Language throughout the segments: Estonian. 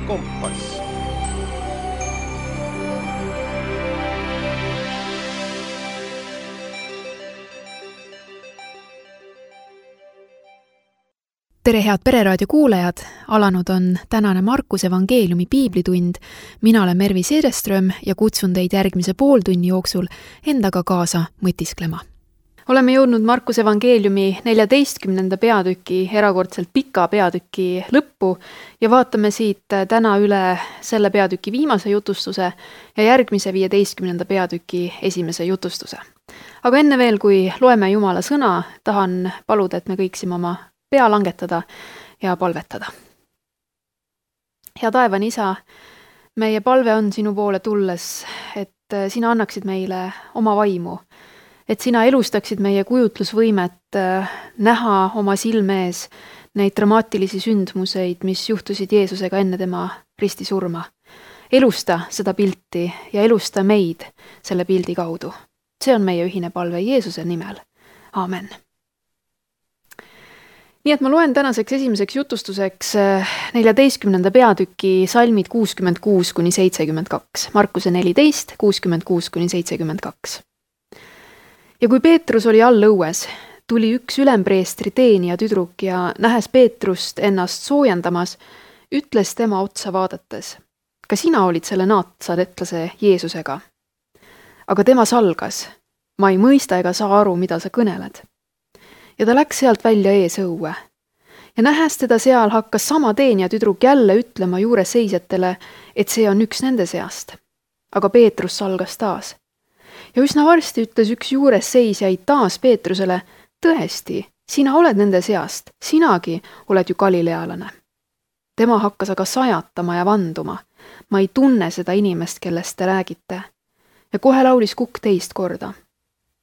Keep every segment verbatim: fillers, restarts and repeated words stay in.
Kompass. Tere head Pereraadio kuulajad, alanud on tänane Markuse evangeeliumi piiblitund. Mina olen Mervi Seereström ja kutsun teid järgmise pooltunni jooksul endaga kaasa mõtisklema. Oleme jõudnud Markuse evangeeliumi neljateistkümnenda peatüki, erakordselt pika peatüki lõppu ja vaatame siit täna üle selle peatüki viimase jutustuse ja järgmise viieteistkümnenda peatüki esimese jutustuse. Aga enne veel, kui loeme Jumala sõna, tahan paluda, et me kõiksime oma pea langetada ja palvetada. Hea taevane Isa, meie palve on sinu poole tulles, et sina annaksid meile oma vaimu, et sina elustaksid meie kujutlusvõimet näha oma silme ees neid dramaatilisi sündmuseid, mis juhtusid Jeesusega enne tema ristisurma. Elusta seda pilti ja elusta meid selle pildi kaudu. See on meie ühine palve Jeesuse nimel. Aamen. Nii et ma loen tänaseks esimeseks jutustuseks neljateistkümnenda peatüki salmid kuuskümmend kuus kuni seitsekümmend kaks. Markuse neliteist, kuuskümmend kuus kuni seitsekümmend kaks. Ja kui Peetrus oli all õues, tuli üks ülempreestri teenija tüdruk ja nähes Peetrust ennast soojendamas, ütles tema otsa vaadates: ka sina olid selle naatsaretlase Jeesusega. Aga tema salgas: ma ei mõista ega saa aru, mida sa kõneled. Ja ta läks sealt välja ees õue. Ja nähes teda seal hakkas sama teenija tüdruk jälle ütlema juures seisjatele, et see on üks nende seast. Aga Peetrus salgas taas. Ja üsna varsti ütles üks juures seisjaid taas Peetrusele: tõesti, sina oled nende seast, sinagi oled ju galilealane. Tema hakkas aga sajatama ja vanduma: ma ei tunne seda inimest, kellest te räägite. Ja kohe laulis kukk teist korda.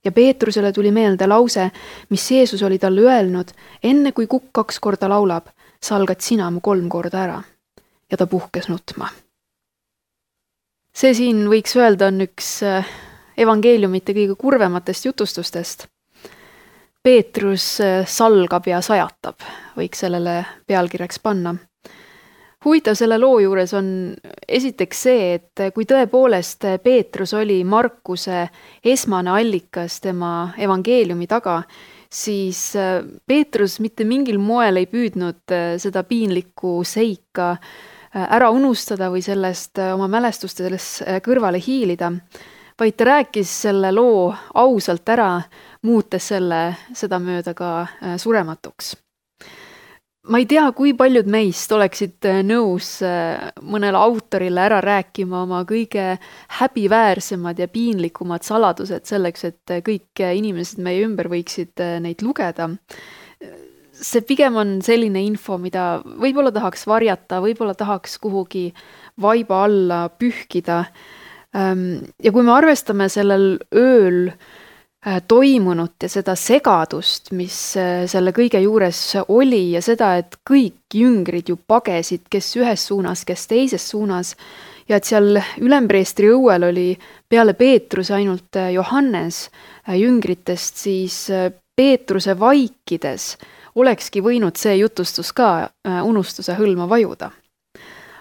Ja Peetrusele tuli meelde lause, mis Jeesus oli talle öelnud: enne kui kukk kaks korda laulab, salgad sina mu kolm korda ära. Ja ta puhkes nutma. See siin võiks öelda on üks evangeeliumite kõige kurvematest jutustustest. Peetrus salgab ja sajatab, võiks sellele pealkirjaks panna. Huvitav selle loo juures on esiteks see, et kui tõepoolest Peetrus oli Markuse esmane allikas tema evangeeliumi taga, siis Peetrus mitte mingil moel ei püüdnud seda piinlikku seika ära unustada või sellest oma mälestustes kõrvale hiilida, vaid ta rääkis selle loo ausalt ära, muutes selle seda mööda ka surematuks. Ma ei tea, kui paljud meist oleksid nõus mõnele autorile ära rääkima oma kõige häbiväärsemad ja piinlikumad saladused selleks, et kõik inimesed meie ümber võiksid neid lugeda. See pigem on selline info, mida võib-olla tahaks varjata, võib-olla tahaks kuhugi vaiba alla pühkida. Ja kui me arvestame sellel ööl toimunut ja seda segadust, mis selle kõige juures oli ja seda, et kõik jüngrid ju pagesid, kes ühes suunas, kes teises suunas ja et seal ülempreestri õuel oli peale Peetruse ainult Johannes jüngritest, siis Peetruse vaikides olekski võinud see jutustus ka unustuse hõlma vajuda.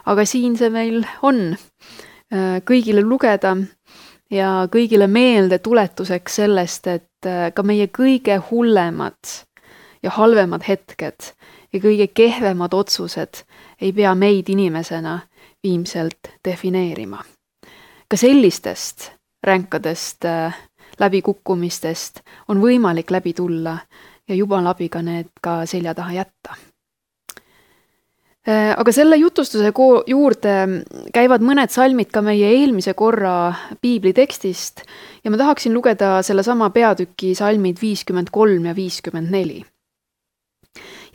Aga siin see meil on kõigile lugeda ja kõigile meelde tuletuseks sellest, et ka meie kõige hullemad ja halvemad hetked ja kõige kehvemad otsused ei pea meid inimesena viimselt defineerima. Ka sellistest ränkadest läbikukkumistest on võimalik läbi tulla ja Jumala abiga need ka selja taha jätta. Aga selle jutustuse juurde käivad mõned salmid ka meie eelmise korra piiblitekstist ja ma tahaksin lugeda selle sama peatüki salmid viiskümmend kolm ja viiskümmend neli.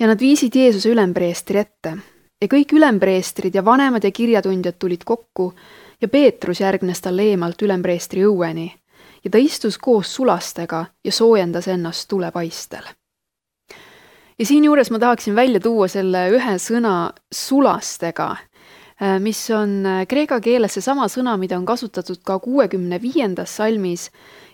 Ja nad viisid Jeesuse ülempreestri ette ja kõik ülempreestrid ja vanemad ja kirjatundjad tulid kokku ja Peetrus järgnes talle eemalt ülempreestri õueni ja ta istus koos sulastega ja soojendas ennast tulepaistel. Ja siin juures ma tahaksin välja tuua selle ühe sõna sulastega, mis on kreeka keeles see sama sõna, mida on kasutatud ka kuuekümne viiendas salmis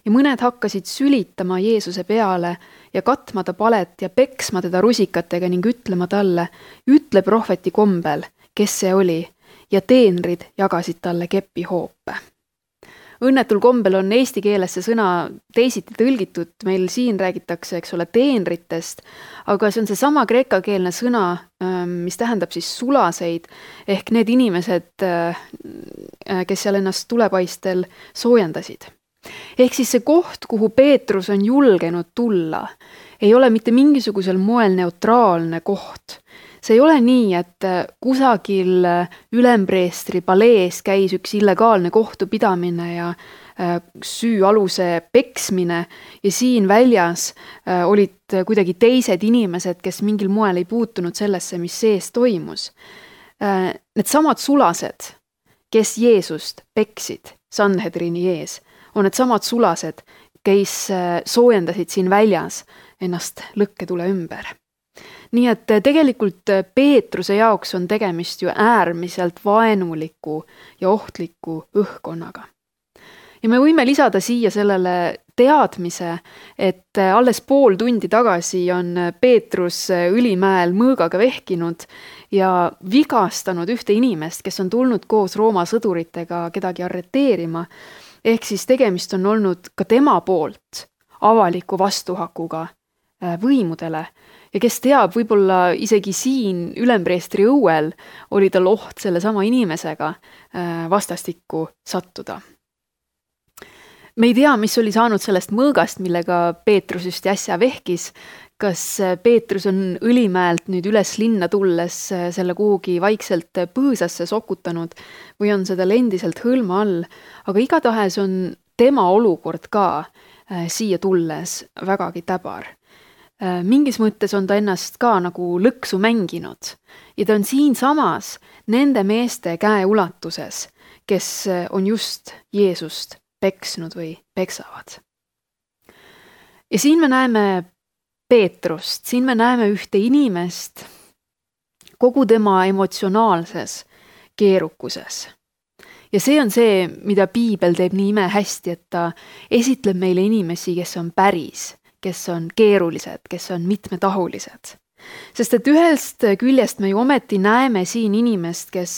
ja mõned hakkasid sülitama Jeesuse peale ja katma ta palet ja peksma teda rusikatega ning ütlema talle: ütle prohveti kombel, kes see oli ja teenrid jagasid talle kepihoope. Õnnetul kombel on eesti keeles see sõna teisiti tõlgitud, meil siin räägitakse, eks ole, teenritest, aga see on see sama kreekakeelne sõna, mis tähendab siis sulaseid, ehk need inimesed, kes seal ennast tulepaistel soojendasid. Ehk siis see koht, kuhu Peetrus on julgenud tulla, ei ole mitte mingisugusel moel neutraalne koht. See ei ole nii, et kusagil ülempreestri palees käis üks illegaalne kohtupidamine ja süüaluse peksmine ja siin väljas olid kuidagi teised inimesed, kes mingil moel ei puutunud sellesse, mis sees toimus. Need samad sulased, kes Jeesust peksid Sanhedrini ees, on need samad sulased, kes soojendasid siin väljas ennast lõkketule ümber. Nii et tegelikult Peetruse jaoks on tegemist ju äärmiselt vaenuliku ja ohtliku õhkkonnaga. Ja me võime lisada siia sellele teadmise, et alles pool tundi tagasi on Peetrus Ülimäel mõõgaga vehkinud ja vigastanud ühte inimest, kes on tulnud koos Rooma sõduritega kedagi arreteerima. Ehk siis tegemist on olnud ka tema poolt avaliku vastuhakuga võimudele. Ja kes teab, võib-olla isegi siin ülempreestri õuel oli tal oht selle sama inimesega vastastikku sattuda. Me ei tea, mis oli saanud sellest mõõgast, millega Peetrus just äsja vehkis. Kas Peetrus on Õlimäelt nüüd üles linna tulles selle kuhugi vaikselt põõsasse sokutanud või on seda endiselt hõlma all, aga igatahes on tema olukord ka siia tulles vägagi täbar. Mingis mõttes on ta ennast ka nagu lõksu mänginud ja ta on siin samas nende meeste käe ulatuses, kes on just Jeesust peksnud või peksavad. Ja siin me näeme Peetrust, siin me näeme ühte inimest kogu tema emotsionaalses keerukuses. Ja see on see, mida piibel teeb nii ime hästi, et ta esitleb meile inimesi, kes on päris, kes on keerulised, kes on mitmetahulised. Sest et ühest küljest me ju ometi näeme siin inimest, kes,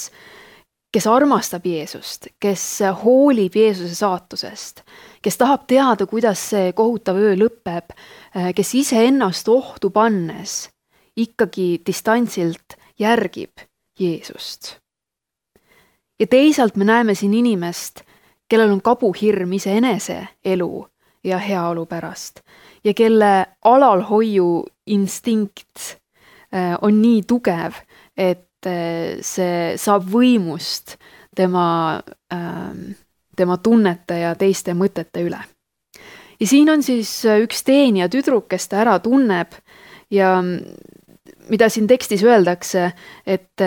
kes armastab Jeesust, kes hoolib Jeesuse saatusest, kes tahab teada, kuidas see kohutav öö lõpeb, kes ise ennast ohtu pannes ikkagi distantsilt järgib Jeesust. Ja teisalt me näeme siin inimest, kellel on kabuhirm iseenese elu ja heaolu pärast ja kelle alalhoiu instinkt on nii tugev, et see saab võimust tema, tema tunnete ja teiste mõtete üle. Ja siin on siis üks teenija tüdruk, kes ta ära tunneb ja mida siin tekstis öeldakse, et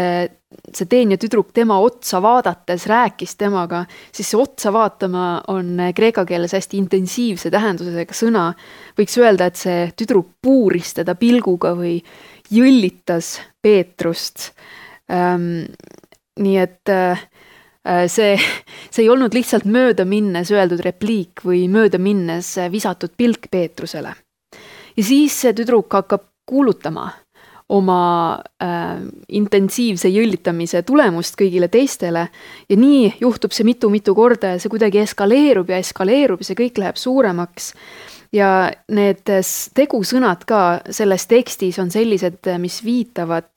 see teenija tüdruk tema otsa vaadates rääkis temaga, siis see otsa vaatama on kreeka keeles hästi intensiivse tähendusega sõna. Võiks öelda, et see tüdruk puuris teda pilguga või jõllitas Peetrust. Ähm, nii et äh, see, see ei olnud lihtsalt mööda minnes öeldud repliik või mööda minnes visatud pilk Peetrusele. Ja siis see tüdruk hakkab kuulutama oma äh, intensiivse jõllitamise tulemust kõigile teistele ja nii juhtub see mitu-mitu korda ja see kuidagi eskaleerub ja eskaleerub ja see kõik läheb suuremaks. Ja need tegusõnad ka selles tekstis on sellised, mis viitavad,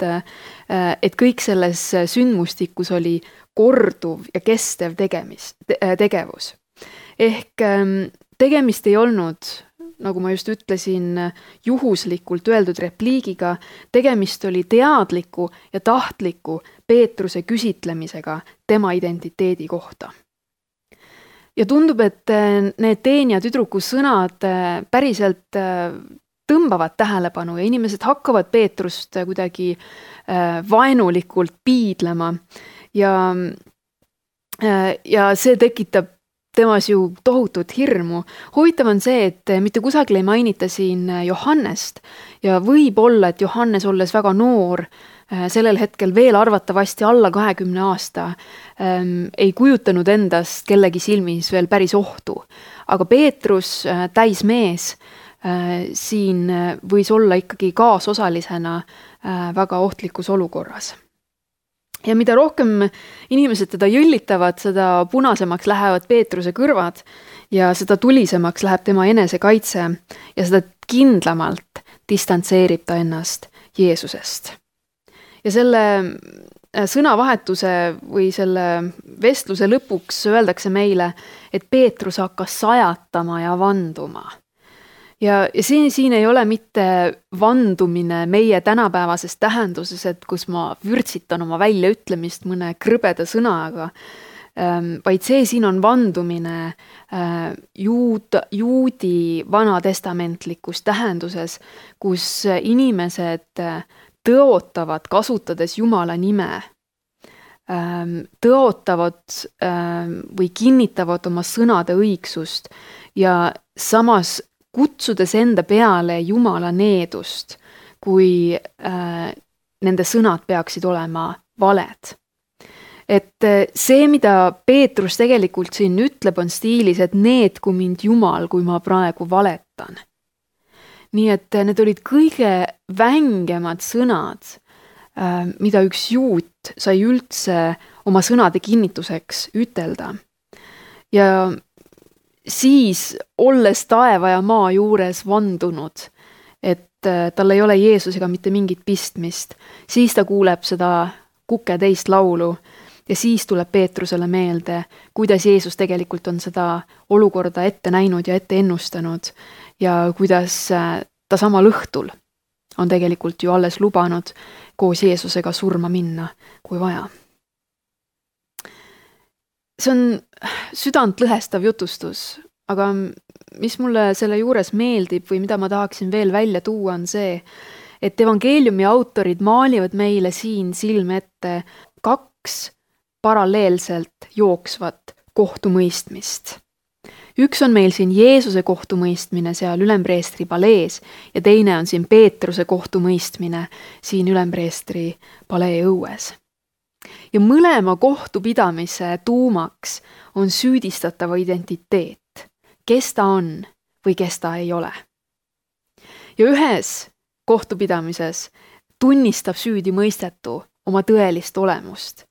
et kõik selles sündmustikus oli korduv ja kestev tegemis, tegevus. Ehk tegemist ei olnud, nagu ma just ütlesin, juhuslikult öeldud repliigiga, tegemist oli teadliku ja tahtliku Peetruse küsitlemisega tema identiteedi kohta. Ja tundub, et need teenija tüdruku sõnad päriselt tõmbavad tähelepanu ja inimesed hakkavad Peetrust kuidagi vaenulikult piidlema ja, ja see tekitab temas ju tohutut hirmu. Huvitav on see, et mitte kusagil ei mainita siin Johannest ja võib olla, et Johannes olles väga noor, sellel hetkel veel arvatavasti alla kahekümne aasta, ähm, ei kujutanud endast kellegi silmis veel päris ohtu. Aga Peetrus, äh, täis mees, äh, siin võis olla ikkagi kaasosalisena äh, väga ohtlikus olukorras. ja mida rohkem inimesed teda jõllitavad, seda punasemaks lähevad Peetruse kõrvad ja seda tulisemaks läheb tema enesekaitse ja seda kindlamalt distantseerib ta ennast Jeesusest. Ja selle sõnavahetuse või selle vestluse lõpuks öeldakse meile, et Peetrus hakkas sajatama ja vanduma. Ja, ja siin, siin ei ole mitte vandumine meie tänapäevases tähenduses, et kus ma vürtsitan oma väljaütlemist mõne krõbeda sõnaga, vaid see siin on vandumine juud, juudi vanatestamentlikus tähenduses, kus inimesed tõotavad, kasutades Jumala nime, tõotavad või kinnitavad oma sõnade õigsust ja samas kutsudes enda peale Jumala needust, kui nende sõnad peaksid olema valed. Et see, mida Peetrus tegelikult siin ütleb, on stiilis, et needku mind Jumal, kui ma praegu valetan. Nii et need olid kõige vängemad sõnad, mida üks juut sai üldse oma sõnade kinnituseks ütelda. Ja siis, olles taeva ja maa juures vandunud, et tal ei ole Jeesusega mitte mingit pistmist, siis ta kuuleb seda kuke teist laulu ja siis tuleb Peetrusele meelde, kuidas Jeesus tegelikult on seda olukorda ette näinud ja ette ennustanud ja kuidas ta samal õhtul on tegelikult ju alles lubanud koos Jeesusega surma minna, kui vaja. See on südant lõhestav jutustus, aga mis mulle selle juures meeldib või mida ma tahaksin veel välja tuua, on see, et evangeeliumi autorid maalivad meile siin silme ette kaks paralleelselt jooksvat kohtumõistmist. Üks on meil siin Jeesuse kohtumõistmine seal ülempreestri palees ja teine on siin Peetruse kohtumõistmine siin ülempreestri palee õues. Ja mõlema kohtupidamise tuumaks on süüdistatava identiteet, kes ta on või kes ta ei ole. Ja ühes kohtupidamises tunnistab süüdi mõistetu oma tõelist olemust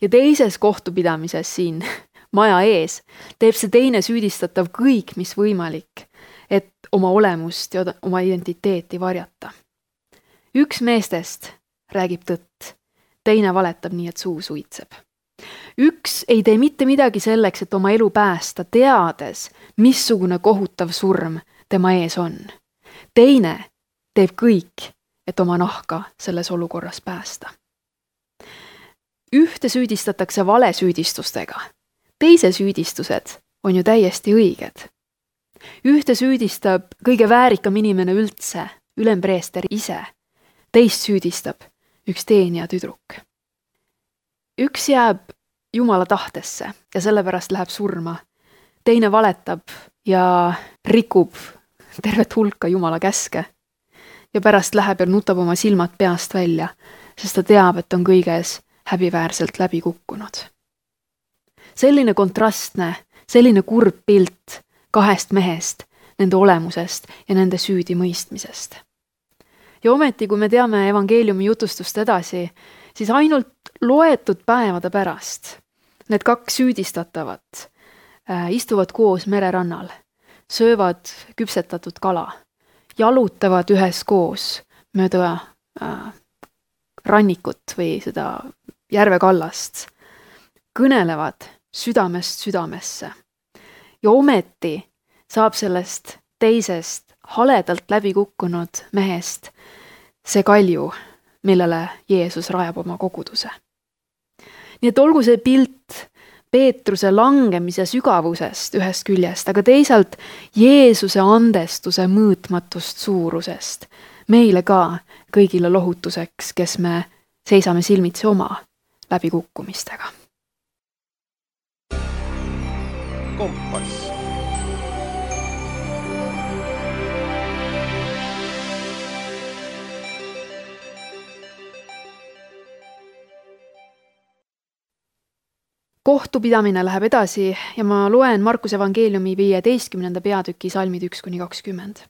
ja teises kohtupidamises siin maja ees teeb see teine süüdistatav kõik, mis võimalik, et oma olemust ja oma identiteeti varjata. Üks meestest räägib tõtt, teine valetab nii, et suu suitseb. Üks ei tee mitte midagi selleks, et oma elu päästa, teades, missugune kohutav surm tema ees on. Teine teeb kõik, et oma nahka selles olukorras päästa. Ühte süüdistatakse valesüüdistustega. Teise süüdistused on ju täiesti õiged. Ühte süüdistab kõige väärikam inimene üldse, ülempreester ise. Teist süüdistab üks teenija tüdruk. Üks jääb Jumala tahtesse ja sellepärast läheb surma. Teine valetab ja rikub tervet hulka Jumala käske. Ja pärast läheb ja nutab oma silmad peast välja, sest ta teab, et on kõiges häbiväärselt läbi kukkunud. Selline kontrastne, selline kurb pilt kahest mehest, nende olemusest ja nende süüdi mõistmisest. Ja ometi, kui me teame evangeeliumi jutustust edasi, siis ainult loetud päevade pärast need kaks süüdistatavat äh, istuvad koos mererannal, söövad küpsetatud kala, jalutavad üheskoos mööda äh, rannikut või seda järvekallast, kõnelevad südamest südamesse. Ja ometi saab sellest teisest haledalt läbi kukkunud mehest see kalju, millele Jeesus rajab oma koguduse. Nii et olgu see pilt Peetruse langemise sügavusest ühest küljest, aga teisalt Jeesuse andestuse mõõtmatust suurusest, meile ka kõigile lohutuseks, kes me seisame silmitsi oma läbikukkumistega. Kompass. Kohtupidamine läheb edasi ja ma loen Markuse evangeeliumi viieteistkümnenda peatüki salmid üks kuni kakskümmend.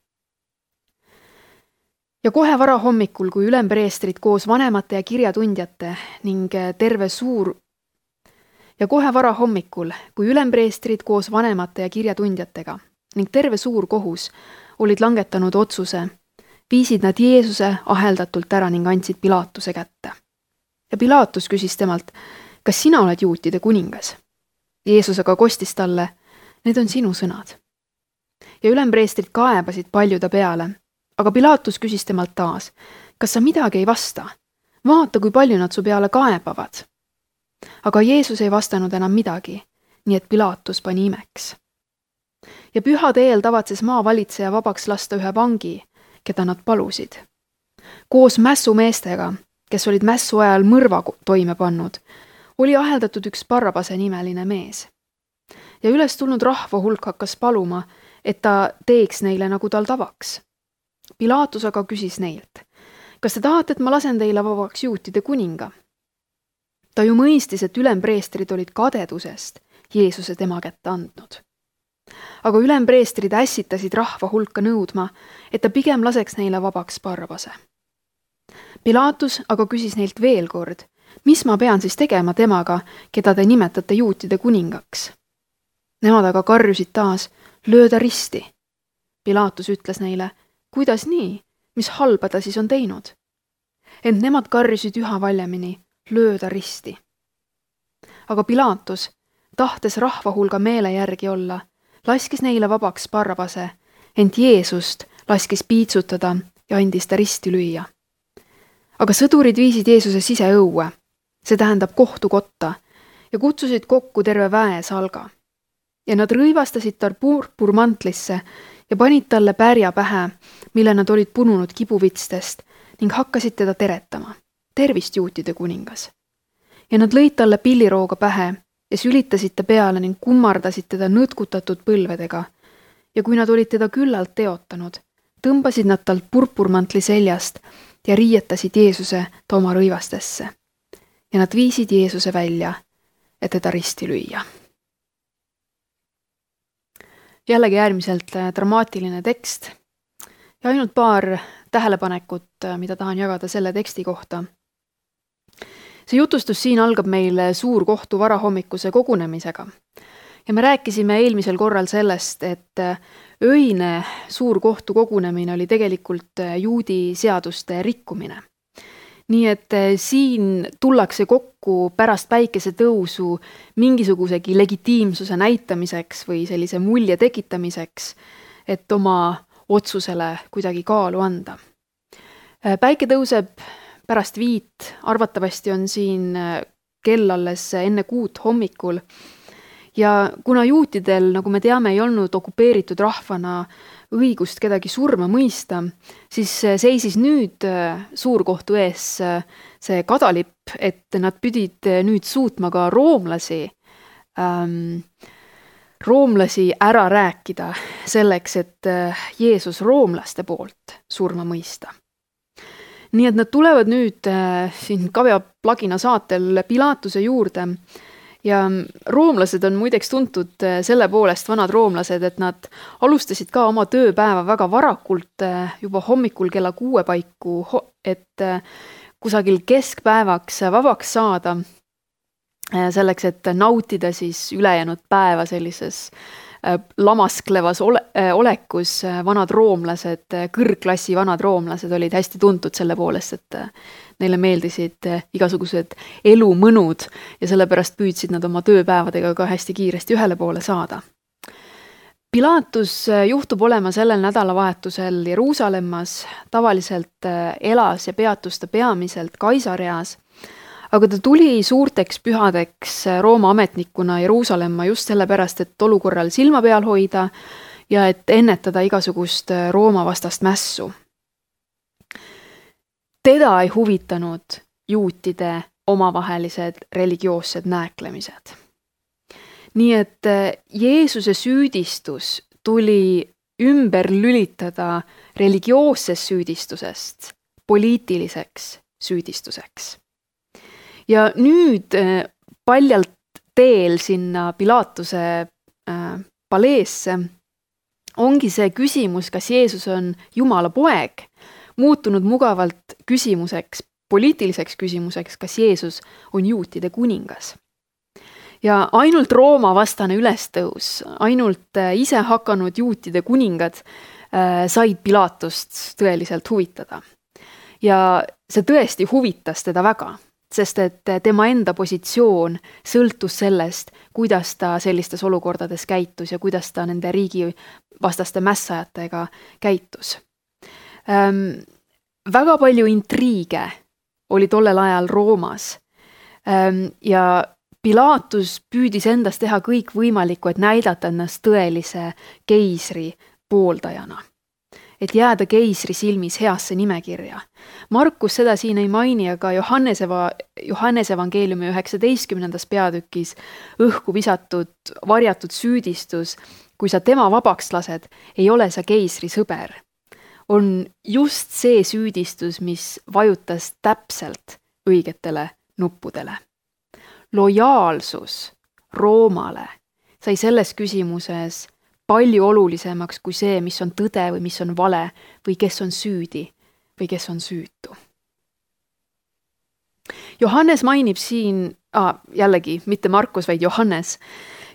ja kohe varahommikul, kui ülempreestrid koos vanemate ja kirjatundjate ning terve suur ja kohe varahommikul, kui ülempreestrid koos vanemate ja kirjatundjatega ning terve suur kohus olid langetanud otsuse, viisid nad Jeesuse aheldatult ära ning andsid Pilaatuse kätte. Ja Pilaatus küsis temalt, kas sina oled juutide kuningas? Jeesus aga kostis talle, need on sinu sõnad. Ja ülempreestrid kaebasid palju ta peale, aga Pilaatus küsis temalt taas, kas sa midagi ei vasta? Vaata, kui palju nad su peale kaebavad. Aga Jeesus ei vastanud enam midagi, nii et Pilaatus pani imeks. Ja pühade eel tavatses maavalitseja vabaks lasta ühe vangi, keda nad palusid. Koos mässumeestega, kes olid mässu ajal mõrva toime pannud, oli aheldatud üks Barrabase nimeline mees. Ja üles tulnud rahva hulk hakkas paluma, et ta teeks neile nagu tal tavaks. Pilaatus aga küsis neilt, kas te tahate, et ma lasen teile vabaks juutide kuninga? Ta ju mõistis, et ülempreestrid olid kadedusest Jeesuse tema kätte andnud. Aga ülempreestrid ässitasid rahva hulka nõudma, et ta pigem laseks neile vabaks Barrabase. Pilaatus aga küsis neilt veel kord, mis ma pean siis tegema temaga, keda te nimetate juutide kuningaks? Nemad aga karjusid taas, lööda risti. Pilaatus ütles neile, kuidas nii, mis halba ta siis on teinud? Ent nemad karjusid üha valjemini, lööda risti. Aga Pilaatus, tahtes rahva hulga meele järgi olla, laskis neile vabaks Barrabase, ent Jeesust laskis piitsutada ja andis ta risti lüüa. Aga sõdurid viisid Jeesuse siseõue, see tähendab kohtukotta, ja kutsusid kokku terve väe salga. Ja nad rõivastasid tal purpurmantlisse ja panid talle pärja pähe, mille nad olid pununud kibuvitstest ning hakkasid teda teretama. Tervist, juutide kuningas. Ja nad lõid talle pillirooga pähe ja sülitasid ta peale ning kummardasid teda nõtkutatud põlvedega. Ja kui nad olid teda küllalt teotanud, tõmbasid nad talt purpurmantli seljast ja riietasid Jeesuse ta oma rõivastesse. Ja nad viisid Jeesuse välja, et teda risti lüüa. Jällegi äärmiselt dramaatiline tekst ja ainult paar tähelepanekut, mida tahan jagada selle teksti kohta. See jutustus siin algab meil suurkohtu varahommikuse kogunemisega. Ja me rääkisime eelmisel korral sellest, et öine suurkohtu kogunemine oli tegelikult juudi seaduste rikkumine. Nii et siin tullakse kokku pärast päikese tõusu mingisugusegi legitiimsuse näitamiseks või sellise mulje tekitamiseks, et oma otsusele kuidagi kaalu anda. Päike tõuseb pärast viit, arvatavasti on siin kell alles enne kuut hommikul ja kuna juutidel, nagu me teame, ei olnud okupeeritud rahvana õigust kedagi surma mõista, siis seisis nüüd suurkohtu ees see kadalipp, et nad pidid nüüd suutma ka roomlasi, ähm, roomlasi ära rääkida selleks, et Jeesus roomlaste poolt surma mõista. Nii et nad tulevad nüüd äh, siin Kavja Plagina saatel Pilaatuse juurde ja roomlased on muideks tuntud selle poolest, vanad roomlased, et nad alustasid ka oma tööpäeva väga varakult juba hommikul kella kuue paiku, et kusagil keskpäevaks vabaks saada selleks, et nautida siis ülejäänud päeva sellises lamasklevas ole, olekus. Vanad roomlased, kõrgklassi vanad roomlased olid hästi tuntud selle poolest, et neile meeldisid igasugused elumõnud ja sellepärast püüdsid nad oma tööpäevadega ka hästi kiiresti ühele poole saada. Pilaatus juhtub olema sellel nädalavahetusel Jeruusalemmas, tavaliselt elas ja peatus ta peamiselt Kaisareas, aga ta tuli suurteks pühadeks Rooma ametnikuna Jeruusalemma just sellepärast, et olukorral silma peal hoida ja et ennetada igasugust Rooma vastast mässu. Teda ei huvitanud juutide omavahelised religioossed nääklemised. Nii et Jeesuse süüdistus tuli ümber lülitada religioossest süüdistusest poliitiliseks süüdistuseks. Ja nüüd paljalt teel sinna Pilaatuse paleesse ongi see küsimus, kas Jeesus on Jumala poeg muutunud mugavalt küsimuseks, poliitiliseks küsimuseks, kas Jeesus on juutide kuningas. Ja ainult Rooma vastane ülestõus, ainult ise hakanud juutide kuningad said Pilatust tõeliselt huvitada. Ja see tõesti huvitas teda väga, sest et tema enda positsioon sõltus sellest, kuidas ta sellistes olukordades käitus ja kuidas ta nende riigi vastaste mässajatega käitus. Ähm, väga palju intriige oli tollel ajal Roomas ähm, ja Pilatus püüdis endast teha kõik võimalikku, et näidata ennast tõelise keisri pooldajana. Et jääda keisri silmis heasse nimekirja. Markus seda siin ei maini, aga Johannes, eva, Johannes evangeeliumi üheksateistkümnendas peatükis õhku visatud, varjatud süüdistus, kui sa tema vabaks lased, ei ole sa keisri sõber. On just see süüdistus, mis vajutas täpselt õigetele nuppudele. Lojaalsus Roomale sai selles küsimuses palju olulisemaks kui see, mis on tõde või mis on vale või kes on süüdi või kes on süütu. Johannes mainib siin, ah, jällegi, mitte Markus, vaid Johannes.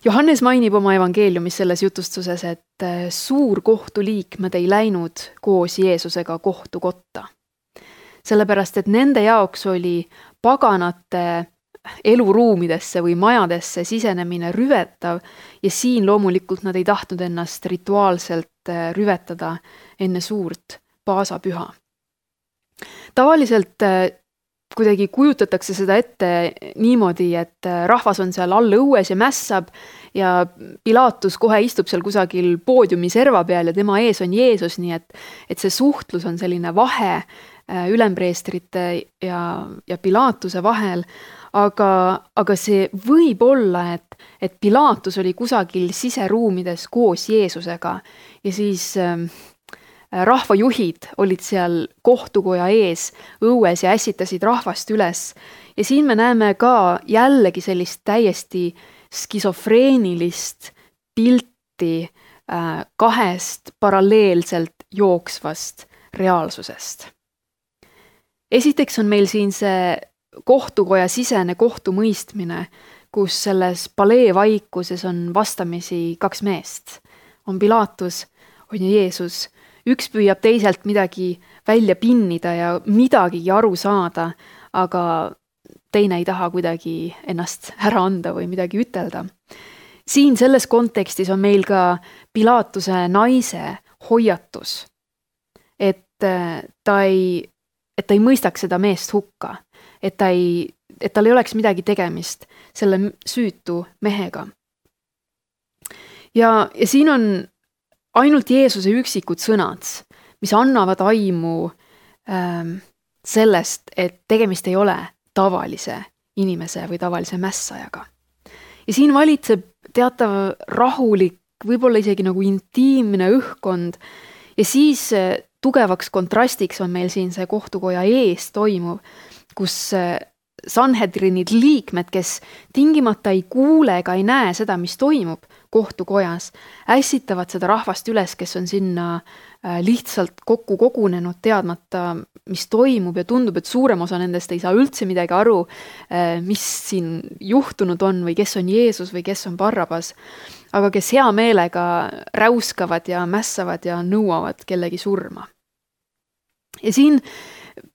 Johannes mainib oma evangeeliumis selles jutustuses, et suur kohtuliikmed ei läinud koos Jeesusega kohtukotta. Sellepärast, et nende jaoks oli paganate eluruumidesse või majadesse sisenemine rüvetav ja siin loomulikult nad ei tahtnud ennast rituaalselt rüvetada enne suurt paasapüha. Tavaliselt kuidagi kujutatakse seda ette niimoodi, et rahvas on seal all õues ja mässab ja Pilatus kohe istub seal kusagil poodiumi serva peal ja tema ees on Jeesus, nii et, et see suhtlus on selline vahe ülempreestrite ja, ja Pilatuse vahel. Aga, aga see võib olla, et, et Pilatus oli kusagil siseruumides koos Jeesusega ja siis äh, rahvajuhid olid seal kohtukoja ees õues ja ässitasid rahvast üles. Ja siin me näeme ka jällegi sellist täiesti skisofreenilist pilti äh, kahest paralleelselt jooksvast reaalsusest. Esiteks on meil siin see kohtukoja sisene kohtumõistmine, kus selles palee vaikuses on vastamisi kaks meest. On Pilatus, on Jeesus. Üks püüab teiselt midagi välja pinnida ja midagigi aru saada, aga teine ei taha kuidagi ennast ära anda või midagi ütelda. Siin selles kontekstis on meil ka Pilatuse naise hoiatus, et ta ei, et ta ei mõistaks seda meest hukka. Et, ta ei, et tal ei oleks midagi tegemist selle süütu mehega. Ja, ja siin on ainult Jeesuse üksikud sõnad, mis annavad aimu ähm, sellest, et tegemist ei ole tavalise inimese või tavalise mässajaga. Ja siin valitseb teatav rahulik, võib-olla isegi nagu intiimne õhkkond ja siis tugevaks kontrastiks on meil siin see kohtukoja ees toimuv, kus Sanhedrinid liikmed, kes tingimata ei kuule ega ei näe seda, mis toimub kohtukojas, ässitavad seda rahvast üles, kes on sinna lihtsalt kokku kogunenud, teadmata, mis toimub ja tundub, et suurem osa nendest ei saa üldse midagi aru, mis siin juhtunud on või kes on Jeesus või kes on Barrabas, aga kes hea meelega räuskavad ja mässavad ja nõuavad kellegi surma. Ja siin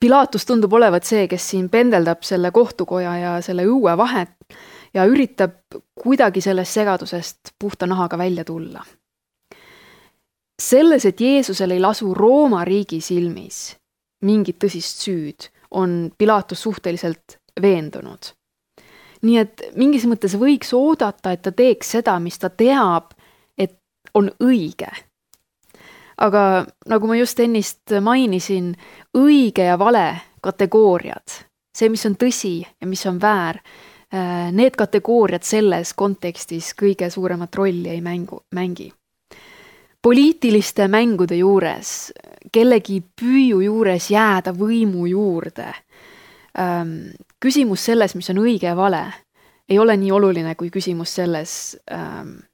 Pilatus tundub olevat see, kes siin pendeldab selle kohtukoja ja selle õue vahet ja üritab kuidagi sellest segadusest puhta nahaga välja tulla. Selles, et Jeesusel ei lasu Rooma riigi silmis mingit tõsist süüd, on Pilatus suhteliselt veendunud. Nii et mingis mõttes võiks oodata, et ta teeks seda, mis ta teab, et on õige. Aga nagu ma just ennist mainisin, õige ja vale kategooriad, see, mis on tõsi ja mis on väär, need kategooriad selles kontekstis kõige suuremat rolli ei mängu, mängi. Poliitiliste mängude juures, kellegi püüu juures jääda võimu juurde, küsimus selles, mis on õige ja vale, ei ole nii oluline kui küsimus selles,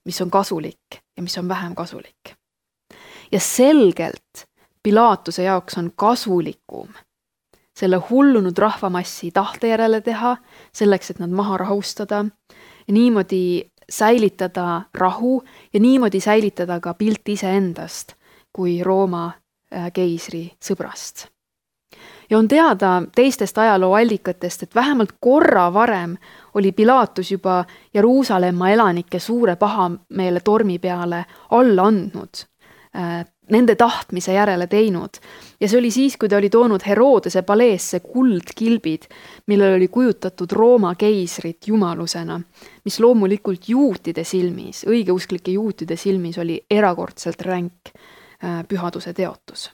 mis on kasulik ja mis on vähem kasulik. Ja selgelt Pilaatuse jaoks on kasulikum selle hullunud rahvamassi tahte järele teha, selleks, et nad maha rahustada ja niimoodi säilitada rahu ja niimoodi säilitada ka pilt iseendast kui Rooma keisri sõbrast. Ja on teada teistest ajaloo allikatest, et vähemalt korra varem oli Pilaatus juba Jeruusalemma elanike suure pahameele tormi peale alla andnud, nende tahtmise järele teinud. Ja see oli siis, kui ta oli toonud Herodese paleesse kuldkilbid, millel oli kujutatud Rooma keisrit jumalusena, mis loomulikult juutide silmis, õigeusklike juutide silmis oli erakordselt ränk pühaduse teotus.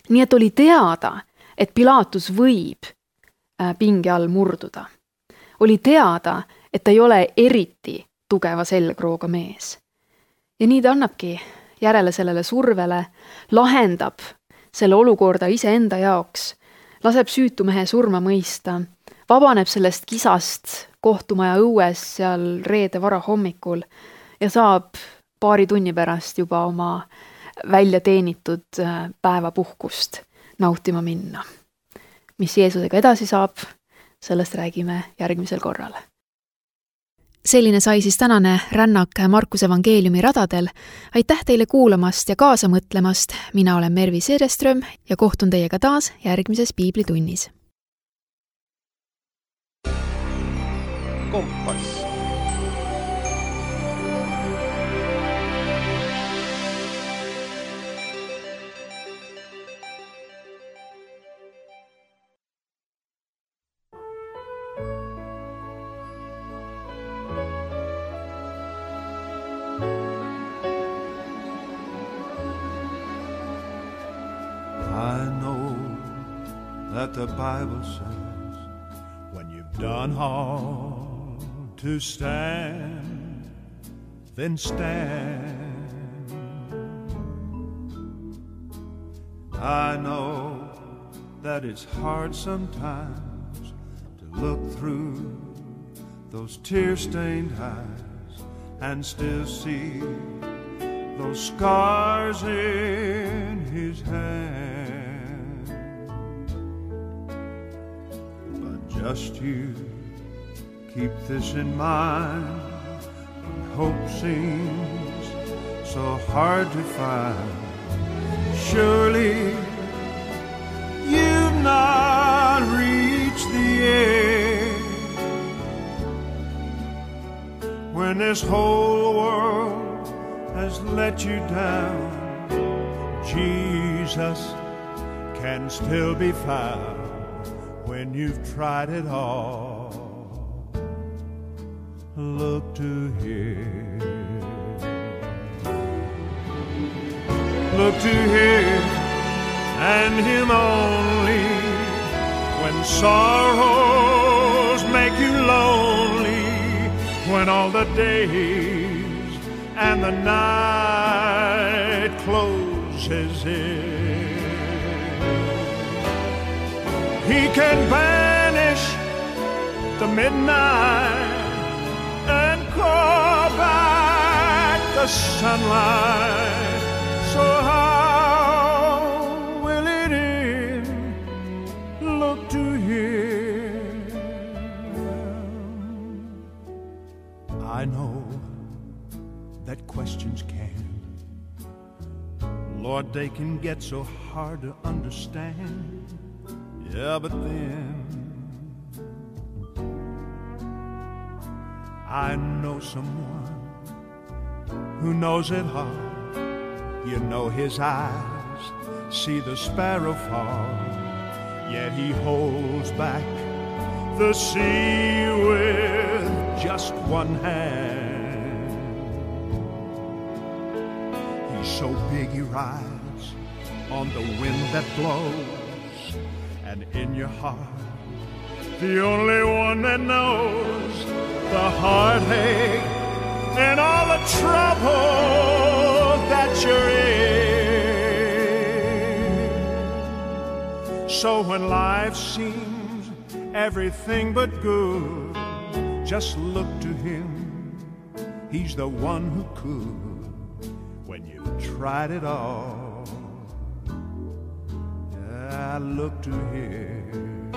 Nii et oli teada, et Pilaatus võib pinge all murduda. Oli teada, et ta ei ole eriti tugeva selgrooga mees. Ja nii ta annabki järele sellele survele, lahendab selle olukorda iseenda jaoks, laseb süütumehe surma mõista, vabaneb sellest kisast kohtumaja õues seal reede vara hommikul ja saab paari tunni pärast juba oma välja teenitud päevapuhkust nautima minna. Mis Jeesusega edasi saab, sellest räägime järgmisel korral. Selline sai siis tänane rännak Markuse evangeeliumi radadel. Aitäh teile kuulamast ja kaasa mõtlemast. Mina olen Mervi Seereström ja kohtun teiega taas järgmises piiblitunnis. Kompass. I know that the Bible says when you've done all to stand, then stand. I know that it's hard sometimes to look through those tear-stained eyes and still see those scars in his hand. But just you keep this in mind when hope seems so hard to find. Surely you've not reached the end when this whole world has let you down. Jesus can still be found when you've tried it all. Look to Him. Look to Him and Him only when sorrows make you lonely, when all the days and the night closes in. He can banish the midnight and call back the sunlight. So how will it end? Look to Him. I know that questions can, Lord, they can get so hard to understand. Yeah, but then I know someone who knows it all. You know His eyes see the sparrow fall, yet He holds back the sea with just one hand. He's so big He rides on the wind that blows, and in your heart, the only one that knows the heartache and all the trouble that you're in. So when life seems everything but good, just look to Him. He's the one who could when you've tried it all. I look to Him.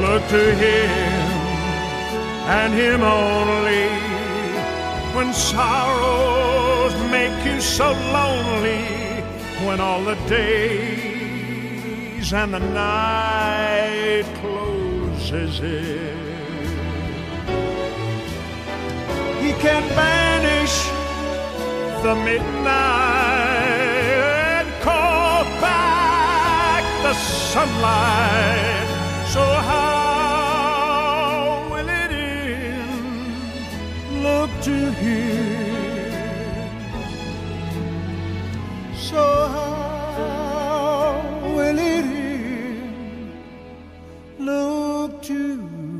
Look to Him and Him only when sorrows make you so lonely, when all the days and the night closes in. He can banish the midnight and call back the sunlight. So how will it end? Look to Him. So how will it end? Look to Him.